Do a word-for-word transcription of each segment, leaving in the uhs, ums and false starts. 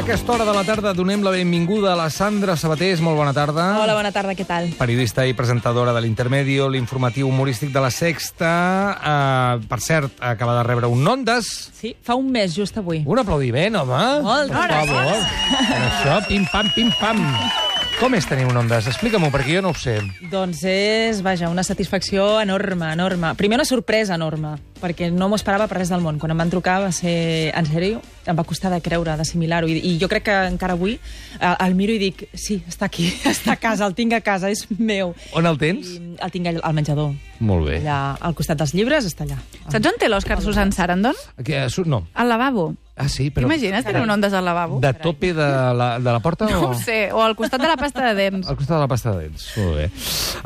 aquesta hora de la tarda donem la benvinguda a la Sandra Sabatés. Molt bona tarda. Hola, bona tarda, què tal? Periodista i presentadora de l'Intermedio, l'informatiu humorístic de La Sexta. Uh, per cert, acaba de rebre un Ondas. Sí, fa un mes, just avui. Un aplaudiment, home. Moltes Per favor. Per això, pim-pam, pim-pam. Com és tenir un Ondas? Explica-m'ho, perquè jo no ho sé. Doncs és, vaja, una satisfacció enorme, enorme. Primer una sorpresa enorme, perquè no m'ho esperava per res del món. Quan em van trucar va ser, en sèrio, em va costar de creure, d'assimilar-ho. I, I jo crec que encara avui eh, el miro i dic, sí, està aquí, està a casa, el tinc a casa, és meu. On el tens? I el tinc al menjador. Molt bé. Allà, al costat dels llibres, està allà. Saps on té l'Òscar Susan Sarandon? Que, no. Al lavabo. Ah, sí, però... T'imagines tenir un Ondas al lavabo? De tope de la, de la porta? No o... ho sé, o al costat de la pasta de dents. Al costat de la pasta de dents, molt bé.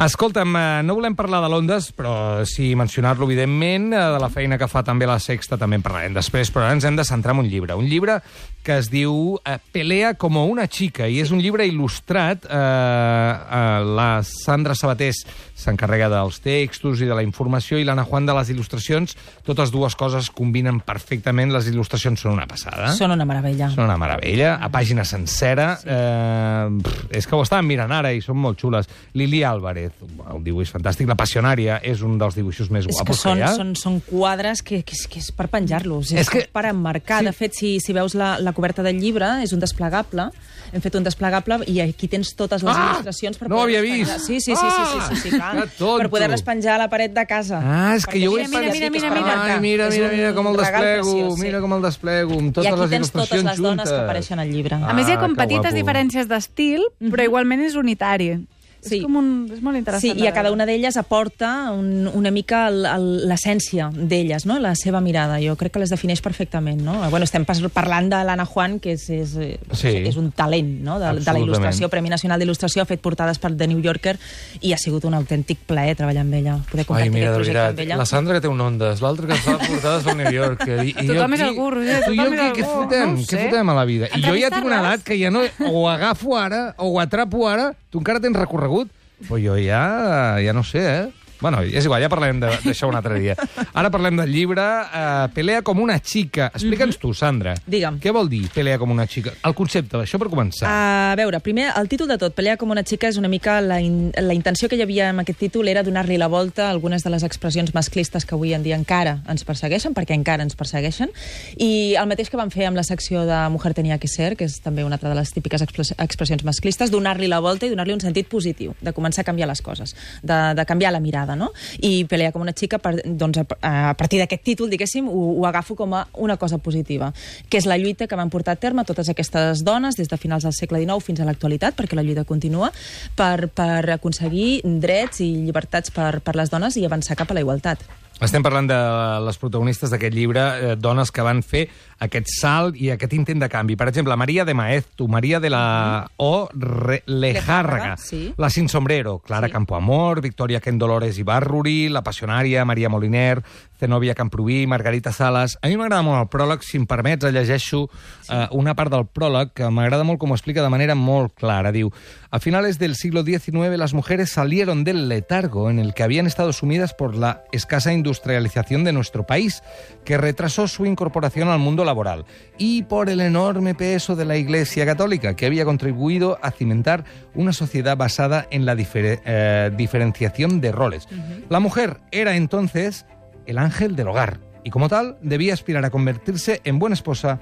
Escolta'm, no volem parlar de l'Ondas, però sí mencionar-lo, evidentment, de la feina que fa també La Sexta, també en parlarem després, però ara ens hem de centrar en un llibre. Un llibre que es diu Pelea como una chica, i és un llibre il·lustrat. Eh, eh, la Sandra Sabatés s'encarrega dels textos i de la informació, i l'Anna Juan de les il·lustracions. Totes dues coses combinen perfectament. Les il·lustracions són una passada. Són una meravella. Són una meravella, a pàgina sencera. Sí. Eh, pff, és que ho estàvem mirant ara i són molt xules. Lili Álvarez, el dibuix fantàstic. La Passionària és un dels dibuixos més guapos que, que són, hi ha. Són, són quadres que, que, és, que és per penjar-los, és, És que- que... per emmarcar. Sí. De fet, si, si veus la, la coberta del llibre, és un desplegable. Hem fet un desplegable i aquí tens totes les Ah! il·lustracions per No ho havia poder-les vist. penjar. Sí, sí, sí, sí, sí, sí, sí, clar. Que tonto. Per poder-les penjar a la paret de casa. Ah, és que Perquè jo ho he mira, mira, pensat. mira, mira, mira. Ai, mira, És mira, un mira com el regal desplego, preciós, sí. mira com el desplego, amb I totes aquí les tens totes il·lustracions les dones juntes. que apareixen al llibre. A més, hi ha Ah, com que petites guapo. diferències d'estil, però igualment és unitari. Sí. És com un... És molt interessant. Sí, de i a cada veure. una d'elles aporta un, una mica el- el- l'essència d'elles, no? La seva mirada. Jo crec que les defineix perfectament, no? Bueno, estem pas- parlant de l'Anna Juan, que és, és, Sí. és un talent, no? De, de la Absolutament. il·lustració, Premi Nacional d'Il·lustració, ha fet portades per The New Yorker, i ha sigut un autèntic plaer treballar amb ella, poder Ai, compartir mira, de aquest projecte amb veritat, ella. la Sandra que té un Ondas, l'altre que fa portades al New Yorker. I, i Tothom jo és aquí- algú, Roger, tu i jo tothom és què, què algú, fotem? no ho Què sé. fotem a la vida? I jo ja tinc una Entrevistar-les. edat que ja no... O ho agafo ara, o ho atrapo ara. Tu encara tens recorregut? Però jo ja... ja no sé, eh? Bueno, és igual, ja parlem de- d'això un altre dia. Ara parlem del llibre uh, Pelea com una chica. Explica'ns tu, Sandra. Digue'm. Què vol dir Pelea com una chica? El concepte, això per començar. A veure, primer, el títol de tot, Pelea com una xica, és una mica... La, in, la intenció que hi havia amb aquest títol era donar-li la volta a algunes de les expressions masclistes que avui en dia encara ens persegueixen, perquè encara ens persegueixen, i el mateix que vam fer amb la secció de Mujer tenía que ser, que és també una altra de les típiques expres, expressions masclistes, donar-li la volta i donar-li un sentit positiu, de començar a canviar les coses, de, de canviar la mirada, no? I Pelea com una xica, per, doncs, a, a partir d'aquest títol, diguéssim, ho, ho agafo com a una cosa positiva, que és la lluita que van portar a terme totes aquestes dones des de finals del segle dinou fins a l'actualitat, perquè la lluita continua, per, per aconseguir drets i llibertats per, per les dones i avançar cap a la igualtat. Estem parlant de les protagonistes d'aquest llibre, eh, dones que van fer aquest salt i aquest intent de canvi. Per exemple, Maria de Maeztu, Maria de la O. Re Lejárraga, sí. la Sin Sombrero, Clara Sí. Campoamor, Victoria Ken Dolores Ibarruri, la Passionària, Maria Moliner, Zenobia Camprubí, Margarita Salas. A mi m'agrada molt el pròleg, si em permets, llegeixo sí. eh, una part del pròleg que m'agrada molt com ho explica de manera molt clara. Diu, a finales del siglo diecinueve las mujeres salieron del letargo en el que habían estado sumidas por la escasa industrialización de nuestro país, que retrasó su incorporación al mundo laboral, y por el enorme peso de la Iglesia Católica, que había contribuido a cimentar una sociedad basada en la difer eh, diferenciación de roles. Uh-huh. La mujer era entonces el ángel del hogar, y como tal debía aspirar a convertirse en buena esposa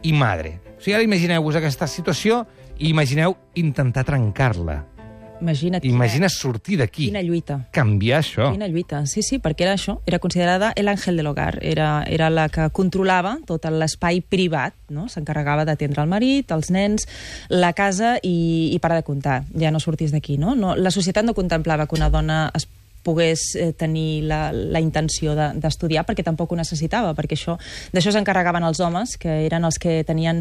i madre. O sigui, ara imagineu-vos aquesta situació i imagineu intentar trencar-la. Imagina't. Imagina sortir d'aquí. Quina lluita. Canviar això. Quina lluita, sí, sí, perquè era això, era considerada l'àngel de l'hogar, era, era la que controlava tot l'espai privat, no? S'encarregava d'atendre el marit, els nens, la casa i, i parar de comptar, ja no sortis d'aquí, no? no? La societat no contemplava que una dona es pogués eh, tenir la, la intenció d'estudiar, de, perquè tampoc ho necessitava, perquè això d'això s'encarregaven els homes, que eren els que tenien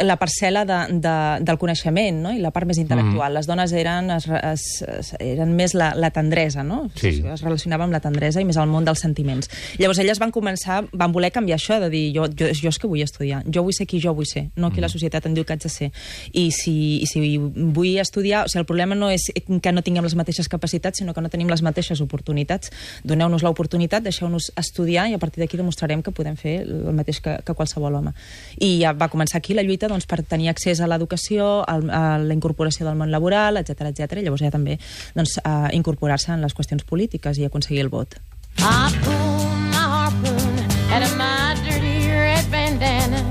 la parcel·la de, de, del coneixement, no? I la part més intel·lectual. Mm. Les dones eren, es, es, es, eren més la, la tendresa, no? Sí. Es relacionaven amb la tendresa i més al món dels sentiments. Llavors elles van començar, van voler canviar això, de dir, jo, jo, jo és que vull estudiar, jo vull ser qui jo vull ser, no qui mm. la societat em diu que haig de ser. I si, i si vull estudiar, o sigui, el problema no és que no tinguem les mateixes capacitats, sinó que no tenim les mateixes mateixes oportunitats. Doneu-nos l'oportunitat, deixeu-nos estudiar i a partir d'aquí demostrarem que podem fer el mateix que, que qualsevol home. I ja va començar aquí la lluita doncs, per tenir accés a l'educació, a la incorporació del món laboral, etcètera, etcètera, i llavors ja també doncs, a incorporar-se en les qüestions polítiques i aconseguir el vot. I pulled my harpoon out of my dirty red bandana.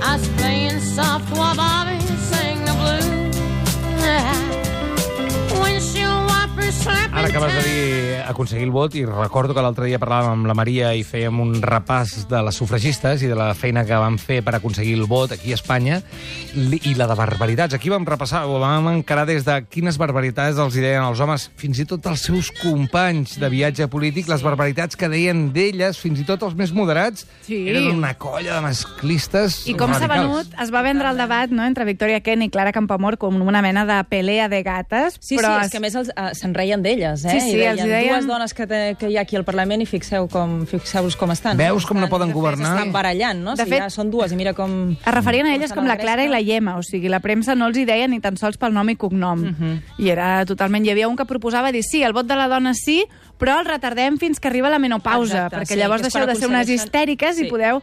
I was playing soft while Bobby sang the blues. Windshield wipers slapping. Ara acabes de dir aconseguir el vot i recordo que l'altre dia parlàvem amb la Maria i fèiem un repàs de les sufragistes i de la feina que van fer per aconseguir el vot aquí a Espanya i la de barbaritats. Aquí vam repassar, o vam encarar des de quines barbaritats els deien els homes, fins i tot els seus companys de viatge polític, les barbaritats que deien d'elles, fins i tot els més moderats, sí. Eren una colla de masclistes I com s'ha venut, es va vendre el debat no, entre Victoria Kent i Clara Campoamor com una mena de pelea de gates. Sí, però sí, és que a més els, uh, se'n reien d'elles, eh? Sí, sí, I deien, els deien... dues dones que, te, que hi ha aquí al Parlament i fixeu com, fixeu-vos com estan. Veus com no poden governar? S'estan barallant, no? De Si fet, ja són dues i mira com... Es referien a elles com la Clara i la Gemma, o sigui, la premsa no els hi deia ni tan sols pel nom i cognom. Uh -huh. I era totalment... Hi havia un que proposava dir, sí, el vot de la dona sí, però el retardem fins que arriba la menopausa, Exacte, perquè sí, llavors que és deixeu quan de ser unes histèriques sí. i podeu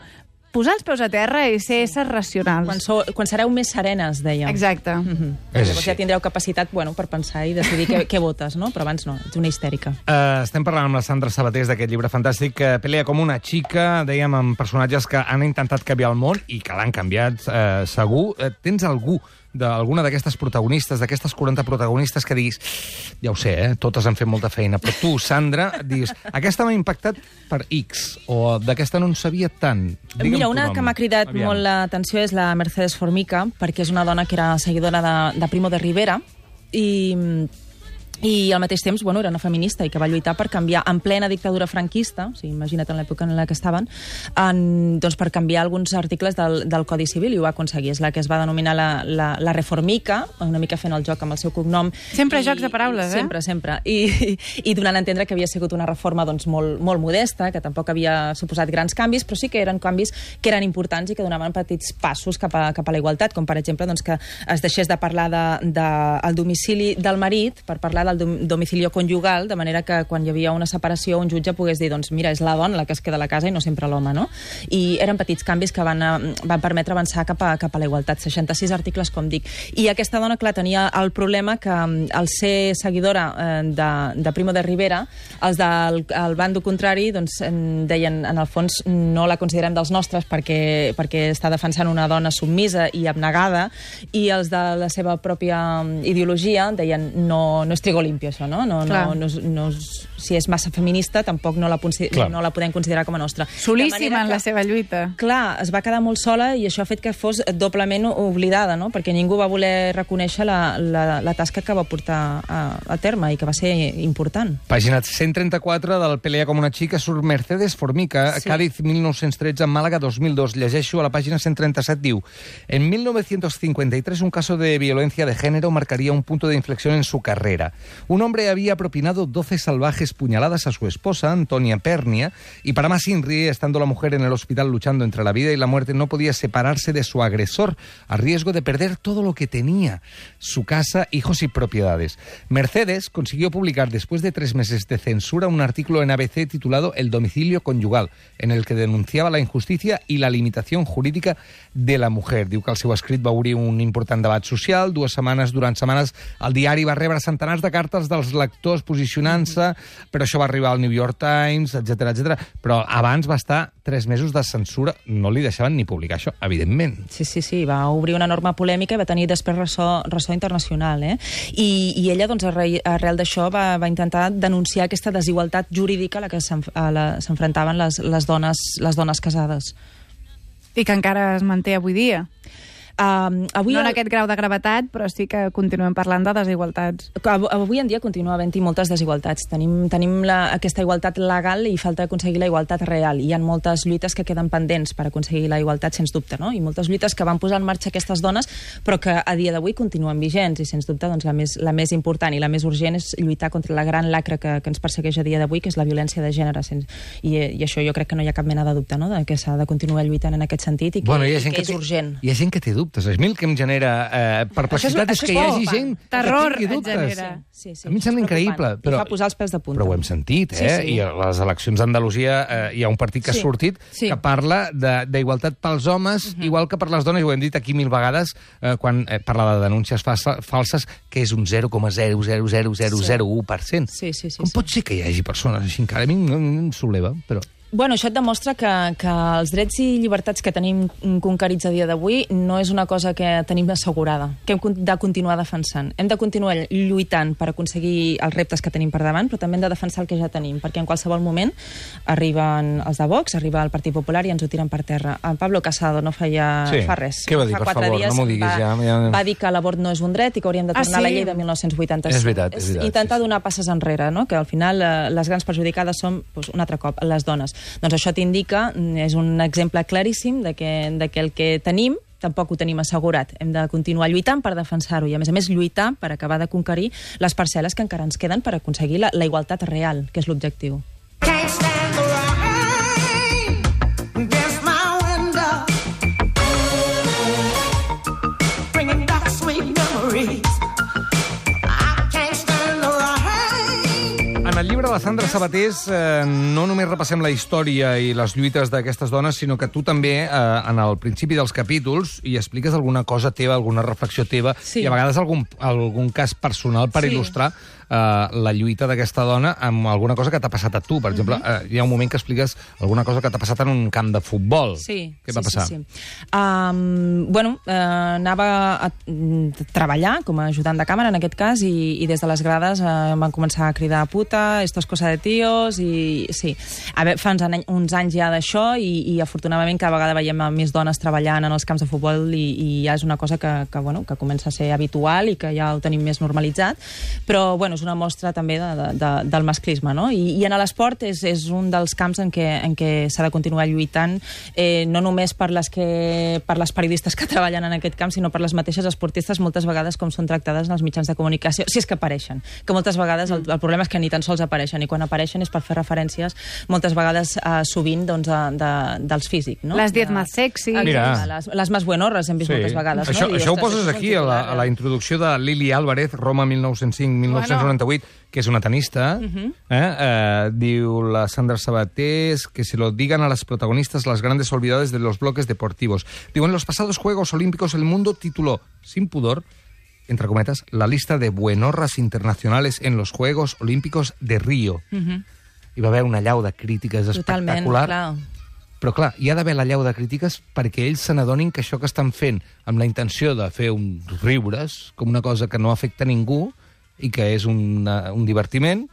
posar els peus a terra i ser éssers racionals. Quan, sou, quan sereu més serenes, deia. Exacte. Uh -huh. Llavors ja tindreu capacitat bueno, per pensar i decidir què, què votes, no? Però abans no, ets una histèrica. Uh, estem parlant amb la Sandra Sabatés d'aquest llibre fantàstic que Pelea com una xica, dèiem, amb personatges que han intentat canviar el món i que l'han canviat, uh, segur. Uh, tens algú d'alguna d'aquestes protagonistes, d'aquestes quaranta protagonistes que diguis, ja ho sé, eh? Totes han fet molta feina, però tu, Sandra, diguis, aquesta m'ha impactat per X, o d'aquesta no en sabia tant. Digue'm Mira, una que m'ha cridat Aviam. molt l'atenció és la Mercedes Formica, perquè és una dona que era seguidora de, de Primo de Rivera, i... i al mateix temps bueno, era una feminista i que va lluitar per canviar en plena dictadura franquista, o sigui, imagina't en l'època en la que estaven, en, doncs per canviar alguns articles del, del Codi Civil i ho va aconseguir. És la que es va denominar la, la, la Reformica, una mica fent el joc amb el seu cognom. Sempre I, jocs de paraules, eh? Sempre, sempre. I, i, i donant a entendre que havia sigut una reforma doncs, molt, molt modesta, que tampoc havia suposat grans canvis, però sí que eren canvis que eren importants i que donaven petits passos cap a, cap a la igualtat, com per exemple doncs, que es deixés de parlar del de, de, domicili del marit per parlar del domicilio conjugal, de manera que quan hi havia una separació un jutge pogués dir, doncs mira, és la dona la que es queda a la casa i no sempre l'home, no? I eren petits canvis que van, van permetre avançar cap a, cap a la igualtat. seixanta-sis articles, com dic. I aquesta dona, clar, tenia el problema que al ser seguidora eh, de, de Primo de Rivera, els del el bando contrari doncs, deien, en el fons, no la considerem dels nostres perquè, perquè està defensant una dona submisa i abnegada, i els de la seva pròpia ideologia deien, no, no és trigo limpio, això, no? No, no, no, no, si és massa feminista, tampoc no la, no la podem considerar com a nostra. Solíssima en la seva lluita. Clar, es va quedar molt sola i això ha fet que fos doblement oblidada, no? Perquè ningú va voler reconèixer la, la, la tasca que va portar a, a terme i que va ser important. Pàgina cent trenta-quatre del Pelea com una xica surt Mercedes Formica, sí. Cádiz mil nou-cents tretze, Màlaga dos mil dos. Llegeixo a la pàgina cent trenta-set, diu: en mil novecientos cincuenta y tres un caso de violencia de género marcaría un punto de inflexión en su carrera. Un hombre había propinado doce salvajes puñaladas a su esposa, Antonia Pernia, y para más inri, estando la mujer en el hospital luchando entre la vida y la muerte, no podía separarse de su agresor, a riesgo de perder todo lo que tenía, su casa, hijos y propiedades. Mercedes consiguió publicar, después de tres meses de censura, un artículo en A B C titulado El domicilio conyugal, en el que denunciava la injustícia i la limitació jurídica de la mujer. Diu que el seu escrit va obrir un important debat social. Dues setmanes, durant setmanes, el diari va rebre centenars de cartes dels lectors posicionant-se, però això va arribar al New York Times, etcètera, etcètera. Però abans va estar tres mesos de censura. No li deixaven ni publicar això, evidentment. Sí, sí, sí. Va obrir una enorme polèmica i va tenir després ressò, ressò internacional. Eh? I, I ella, doncs, arrel d'això, va, va intentar denunciar aquesta desigualtat jurídica a la que s'enfrontaven les, les, dones, les dones casades. I que encara es manté avui dia. Uh, avui no en el... aquest grau de gravetat, però sí que continuem parlant de desigualtats. Avui en dia continua havent-hi moltes desigualtats. Tenim, tenim la, aquesta igualtat legal i falta aconseguir la igualtat real. Hi ha moltes lluites que queden pendents per aconseguir la igualtat, sens dubte, no? I moltes lluites que van posar en marxa aquestes dones, però que a dia d'avui continuen vigents. I, sens dubte, doncs, la, més, la més important i la més urgent és lluitar contra la gran lacra que, que ens persegueix a dia d'avui, que és la violència de gènere. Sens... I, I això jo crec que no hi ha cap mena de dubte, no?, de que s'ha de continuar lluitant en aquest sentit i que, bueno, i i que que és té, urgent. Hi ha gent que té dubte. dubtes. A mi el que em genera eh, perplexitat és, és que hi hagi gent terror que tingui dubtes. genera. Sí, sí, a mi em sembla increïble. Però, I fa posar els pèls de punta. però ho hem sentit, eh? Sí, sí. I a les eleccions d'Andalusia eh, hi ha un partit que Sí. ha sortit Sí. que parla d'igualtat pels homes, uh-huh. igual que per les dones, i ho hem dit aquí mil vegades, eh, quan eh, parla de denúncies falsa, falses, que és un zero coma zero zero zero zero zero u per cent. Sí, sí, sí. Com sí. pot ser que hi hagi persones així encara? A mi em solleva, però... Bueno, això et demostra que, que els drets i llibertats que tenim conquerits a dia d'avui no és una cosa que tenim assegurada, que hem de continuar defensant. Hem de continuar lluitant per aconseguir els reptes que tenim per davant, però també hem de defensar el que ja tenim, perquè en qualsevol moment arriben els de Vox, arriba el Partit Popular i ens ho tiren per terra. El Pablo Casado no feia Sí. fa res. Què va dir, fa per quatre favor? dies No m'ho diguis va, ja, ja. va dir que l'abort no és un dret i que hauríem de Ah, tornar a la sí? llei de mil nou-cents vuitanta-cinc. És veritat, és veritat, Intentar sí, sí. donar passes enrere, no? Que al final eh, les grans perjudicades són, doncs, un altre cop, les dones. Doncs això t'indica, és un exemple claríssim de que, de que el que tenim tampoc ho tenim assegurat. Hem de continuar lluitant per defensar-ho i, a més a més, lluitar per acabar de conquerir les parcel·les que encara ens queden per aconseguir la, la igualtat real, que és l'objectiu. Can't stand the rain against my window, bringing back sweet memories. I can't stand the rain. En el llibre de Sandra Sabatés eh, no només repassem la història i les lluites d'aquestes dones, sinó que tu també, eh, en el principi dels capítols, hi expliques alguna cosa teva, alguna reflexió teva, Sí. i a vegades algun, algun cas personal per Sí. il·lustrar eh, la lluita d'aquesta dona amb alguna cosa que t'ha passat a tu. Per exemple, eh, hi ha un moment que expliques alguna cosa que t'ha passat en un camp de futbol. Sí. Què sí, va passar? Sí, sí. Um, bueno, uh, anava a mm, treballar com a ajudant de càmera, en aquest cas, i, i des de les grades uh, em van començar a cridar puta, esto es cosa de tíos, i sí. A veure, fa uns, any, uns anys ja d'això, i, i afortunadament cada vegada veiem a més dones treballant en els camps de futbol, i, i ja és una cosa que, que, bueno, que comença a ser habitual i que ja ho tenim més normalitzat, però bueno, és una mostra també de, de, de, del masclisme, no? I, i en l'esport és, és un dels camps en què, en què s'ha de continuar lluitant, eh, no només per les, que, per les periodistes que treballen en aquest camp, sinó per les mateixes esportistes, moltes vegades com són tractades en els mitjans de comunicació, si és que apareixen, que moltes vegades el, el problema és que ni tan sols apareixen, i quan apareixen és per fer referències moltes vegades eh, sovint doncs, de, de, dels físics, no? Las diez de, más sexy. Mira. Les, les més buenorres hem vist moltes vegades, Això, no? I, això ho ostres, poses això és aquí, un a la, titular, a la eh? introducció de Lili Álvarez, Roma mil nou-cents cinc mil nou-cents noranta-vuit, que és una tenista. Mhm. eh? Eh, diu la Sandra Sabatés que se lo digan a las protagonistas las grandes olvidadas de los bloques deportivos. Digo, en los pasados Juegos Olímpicos el mundo tituló, sin pudor, entre cometas, la lista de buenorras internacionales en los Juegos Olímpicos de Río. Mhm. Hi va haver una allau de crítiques Totalment, espectacular. clar. Però, clar, hi ha d'haver la llau de crítiques perquè ells se n'adonin que això que estan fent amb la intenció de fer uns riures, com una cosa que no afecta a ningú i que és una, un divertiment...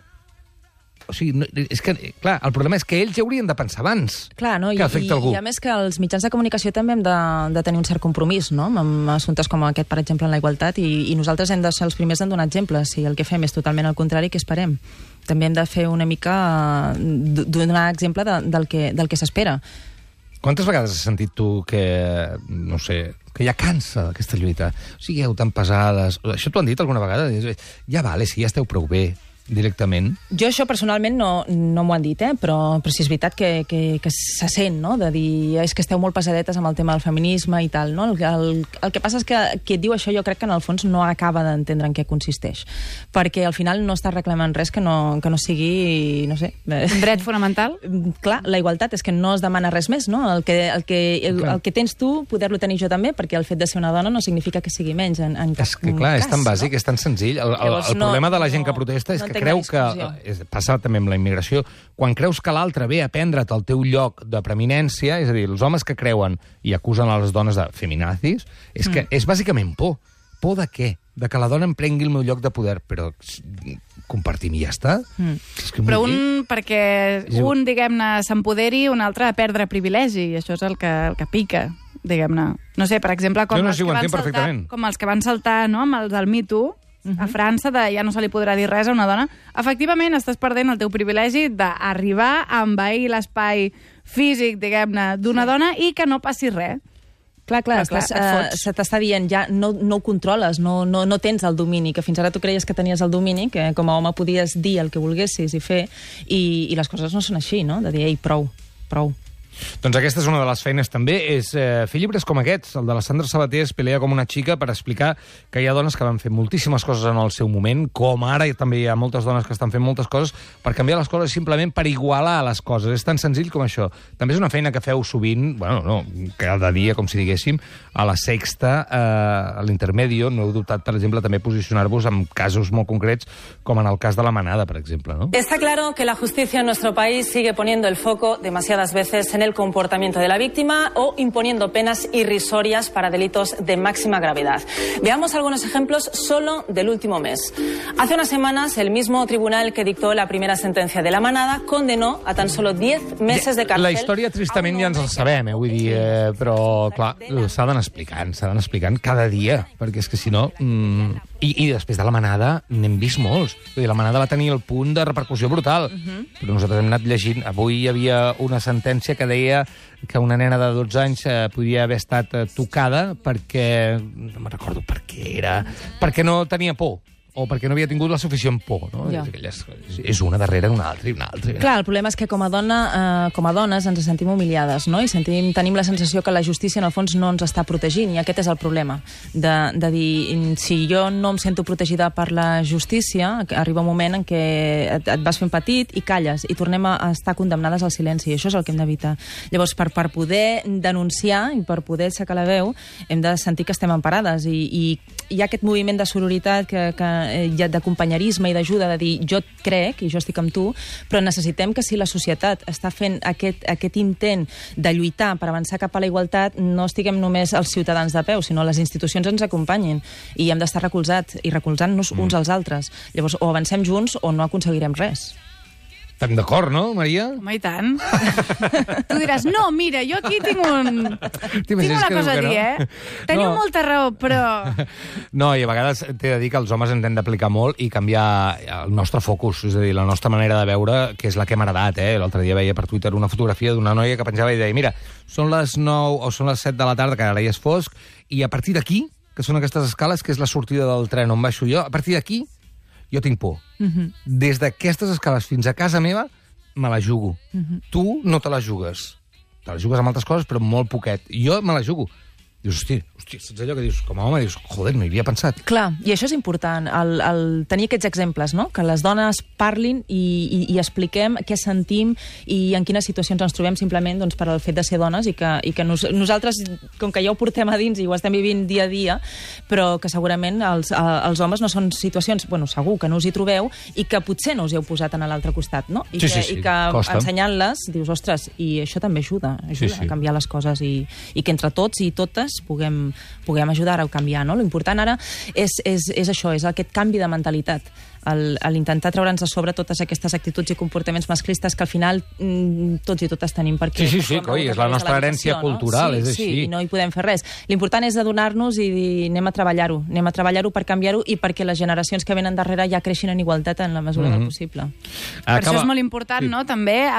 O sigui, no, és que, clar, el problema és que ells ja haurien de pensar abans Clar, no? I, que afecta i, algú. I a més que els mitjans de comunicació també hem de, de tenir un cert compromís, no?, amb assumptes com aquest, per exemple, en la igualtat, i, i nosaltres hem de ser els primers en donar exemples. Si el que fem és totalment el contrari, què esperem? També hem de fer una mica... eh, donar exemple de, del que, del que s'espera. Quantes vegades has sentit tu que, no sé, que ja cansa aquesta lluita? O sigueu tan pesades... Això t'ho han dit alguna vegada? Ja vale, si ja esteu prou bé, directament. Jo això personalment no, no m'ho han dit, eh? però, però sí és veritat que, que, que se sent, no?, de dir és que esteu molt pesadetes amb el tema del feminisme i tal, no? El, el, el que passa és que qui et diu això jo crec que en el fons no acaba d'entendre en què consisteix, perquè al final no està reclamant res que no, que no sigui, no sé... Un dret fonamental? Clar, la igualtat és que no es demana res més, no? El que, el que, el, el que tens tu, poder-lo tenir jo també, perquè el fet de ser una dona no significa que sigui menys en, en cap És que, clar, cas, és tan bàsic, no? és tan senzill. El, el, Llavors, el no- problema de la gent no- que protesta és no que entenc creu la que... discussió. És, passa també amb la immigració. Quan creus que l'altre ve a prendre't el teu lloc de preeminència, és a dir, els homes que creuen i acusen a les dones de feminazis, és que és bàsicament por. Por de què? De que la dona em prengui el meu lloc de poder. Però compartim i ja està. Mm. És que Però vull dir- un, perquè un, diguem-ne, s'empoderi, un altre a perdre privilegi, i això és el que, el que pica, diguem-ne. No sé, per exemple, com, Jo no els, sé, ho que van entenc saltar, perfectament. com els que van saltar, no?, amb els del Me Too, a França, de ja no se li podrà dir res a una dona. Efectivament, estàs perdent el teu privilegi d'arribar a envair l'espai físic, diguem-ne, d'una dona i que no passi res. Clar, clar, Però, clar, estàs, et eh, fots. se t'està dient, ja no, no ho controles, no, no, no tens el domini, que fins ara tu creies que tenies el domini, que com a home podies dir el que volguessis i fer, i, i les coses no són així, no? De dir, ei, prou, prou. Doncs aquesta és una de les feines també, és eh, fer llibres com aquests. El de la Sandra Sabater es pelea com una xica per explicar que hi ha dones que van fer moltíssimes coses en el seu moment, com ara també hi ha moltes dones que estan fent moltes coses per canviar les coses simplement per igualar les coses. És tan senzill com això. També és una feina que feu sovint, bueno, no, cada dia, com si diguéssim, a la Sexta, eh, a l'Intermedio, no heu dubtat, per exemple, també posicionar-vos en casos molt concrets, com en el cas de la Manada, per exemple, no? Está claro que la justicia en nuestro país sigue poniendo el foco demasiadas veces en el comportamiento de la víctima o imponiendo penas irrisorias para delitos de máxima gravedad. Veamos algunos ejemplos solo del último mes. Hace unas semanas, el mismo tribunal que dictó la primera sentencia de la Manada condenó a tan solo diez meses de cárcel. La història, tristament, ja ens la sabem, eh? Vull dir, eh, però, clar, s'ha d'anar explicant, s'ha d'anar explicant cada dia, perquè és que si no... Mm, i, I després de la Manada n'hem vist molts. Vull dir, la Manada va tenir el punt de repercussió brutal, uh -huh. però nosaltres hem anat llegint. Avui hi havia una sentència que deia que una nena de dotze anys eh, podia haver estat eh, tocada perquè... no me'n recordo per què era... perquè no tenia por, o perquè no havia tingut la suficient por, no? Ja. Aquelles, és una darrere una altra i una altra. I una Clar, el problema és que com a, dona, eh, com a dones ens sentim humiliades, no? I sentim, tenim la sensació que la justícia en el fons no ens està protegint, i aquest és el problema. De, de dir, si jo no em sento protegida per la justícia, arriba un moment en què et, et vas fent petit i calles, i tornem a estar condemnades al silenci, i això és el que hem d'evitar. Llavors, per, per poder denunciar i per poder aixecar la veu, hem de sentir que estem emparades, i, i hi ha aquest moviment de sororitat que, que d'acompanyarisme i d'ajuda, de dir jo et crec i jo estic amb tu, però necessitem que si la societat està fent aquest, aquest intent de lluitar per avançar cap a la igualtat, no estiguem només els ciutadans de peu, sinó les institucions ens acompanyin, i hem d'estar recolzats i recolzant-nos mm. uns als altres. Llavors, o avancem junts o no aconseguirem res. Estem d'acord, no, Maria? Home, i tant. Tu diràs, no, mira, jo aquí tinc un... tinc una cosa a dir, no? eh? Teniu no. molta raó, però... No, i a vegades t'he de dir que els homes ens hem d'aplicar molt i canviar el nostre focus, és a dir, la nostra manera de veure, que és la que hem heredat, eh? L'altre dia veia per Twitter una fotografia d'una noia que penjava i deia, mira, són les nou o són les set de la tarda, que ara ja és fosc, i a partir d'aquí, que són aquestes escales, que és la sortida del tren on baixo jo, a partir d'aquí jo tinc por. Uh -huh. Des d'aquestes escales fins a casa meva, me la jugo. Uh -huh. Tu no te la jugues. Te la jugues amb altres coses, però molt poquet. Jo me la jugo. Dius, hosti, hosti, saps allò que dius, com a home, dius, joder, no hi havia pensat. Clar, i això és important, el, el tenir aquests exemples, no? Que les dones parlin i, i, i expliquem què sentim i en quines situacions ens trobem simplement doncs, per al fet de ser dones, i que, i que nos, nosaltres, com que ja ho portem a dins i ho estem vivint dia a dia, però que segurament els, els homes no són situacions, bueno, segur que no us hi trobeu, i que potser no us hi heu posat en l'altre costat, no? I sí, que, sí, sí, i que costa. Ensenyant-les, dius, ostres, i això també ajuda, ajuda sí, sí. a canviar les coses, i, i que entre tots i totes puguem, puguem ajudar a canviar, no? L'important ara és, és, és això, és aquest canvi de mentalitat, l'intentar treure'ns a sobre totes aquestes actituds i comportaments masclistes que al final mm, tots i totes tenim, perquè... Sí, sí, sí, coi, és la nostra herència cultural, no? sí, és així. Sí, i no hi podem fer res. L'important és adonar-nos i dir, anem a treballar-ho, anem a treballar-ho per canviar-ho i perquè les generacions que venen darrere ja creixin en igualtat en la mesura mm-hmm. del possible. Per Acaba... això és molt important, sí. no?, també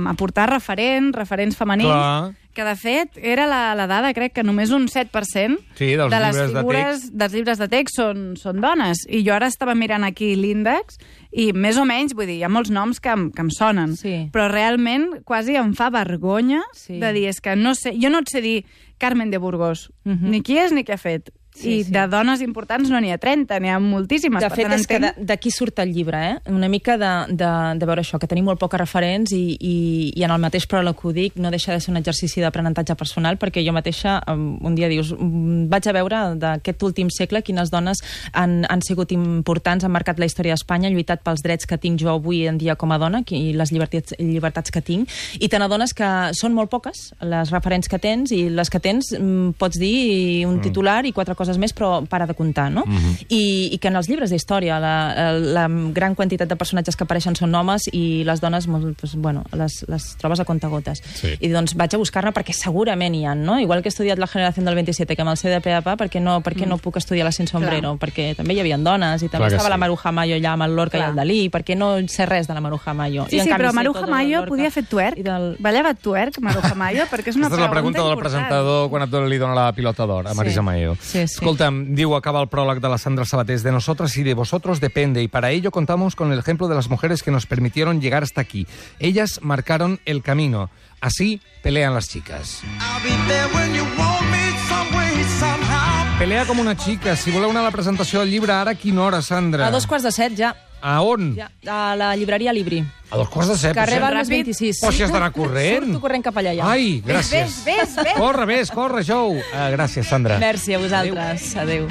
aportar referents, referents femenins, Clar. que de fet era la, la dada, crec que només un set per cent sí, dels de les llibres figures de text. dels llibres de text són, són dones. I jo ara estava mirant aquí l'índex i més o menys, vull dir, hi ha molts noms que em, que em sonen, sí. però realment quasi em fa vergonya sí. de dir, és que no sé, jo no et sé dir Carmen de Burgos, uh-huh. ni qui és ni què ha fet. Sí, I sí. de dones importants no n'hi ha trenta, n'hi ha moltíssimes. De fet, és que d'aquí surt el llibre, eh? Una mica de, de, de veure això, que tenim molt poques referents i, i, i en el mateix pròleg que ho dic, no deixa de ser un exercici d'aprenentatge personal, perquè jo mateixa un dia dius, vaig a veure d'aquest últim segle quines dones han, han sigut importants, han marcat la història d'Espanya, han lluitat pels drets que tinc jo avui en dia com a dona i les llibertats, llibertats que tinc, i te n'adones que són molt poques les referents que tens, i les que tens pots dir un titular i quatre coses coses més, però para de comptar, no? Uh-huh. I, I que en els llibres d'història la, la gran quantitat de personatges que apareixen són homes i les dones, doncs, bueno, les, les trobes a contagotes. Sí. I doncs vaig a buscar-ne perquè segurament hi ha, no? Igual que he estudiat la generació del veintisiete, que amb el C D P A P A, per què no, per què no puc estudiar la Sin Sombrero? Clar. Perquè també hi havia dones, i també estava sí. la Maruja Mayo allà amb el Lorca Clar. i el Dalí, per què no sé res de la Maruja Mayo? Sí, I, sí, canvi, però Maruja Mayo podia fer twerk? Del... Ballava twerk, Maruja Mayo? Perquè és una Aquesta pregunta és la pregunta del important. presentador quan et li dona la pilota d'or, a Marisa sí. Mayo. Sí, sí. Escolta'm, diu, acaba el pròleg de la Sandra Sabater, de nosotras y de vosotros depende, y para ello contamos con el ejemplo de las mujeres que nos permitieron llegar hasta aquí. Ellas marcaron el camino. Así pelean las chicas. I'll be there when you want me some way, somehow. Pelea com una chica. Si voleu anar a la presentació del llibre, ara a quina hora, Sandra? A dos quarts de set, ja. A on? ja. A la llibreria Libri. A dos quarts de set. Carrer potser? Balmes vint-i-sis. Però si has d'anar corrent. Surto corrent cap allà, ja. Ai, gràcies. Ves, ves, ves. Corre, ves, corre, Jou. Uh, gràcies, Sandra. Merci a vosaltres. Adéu.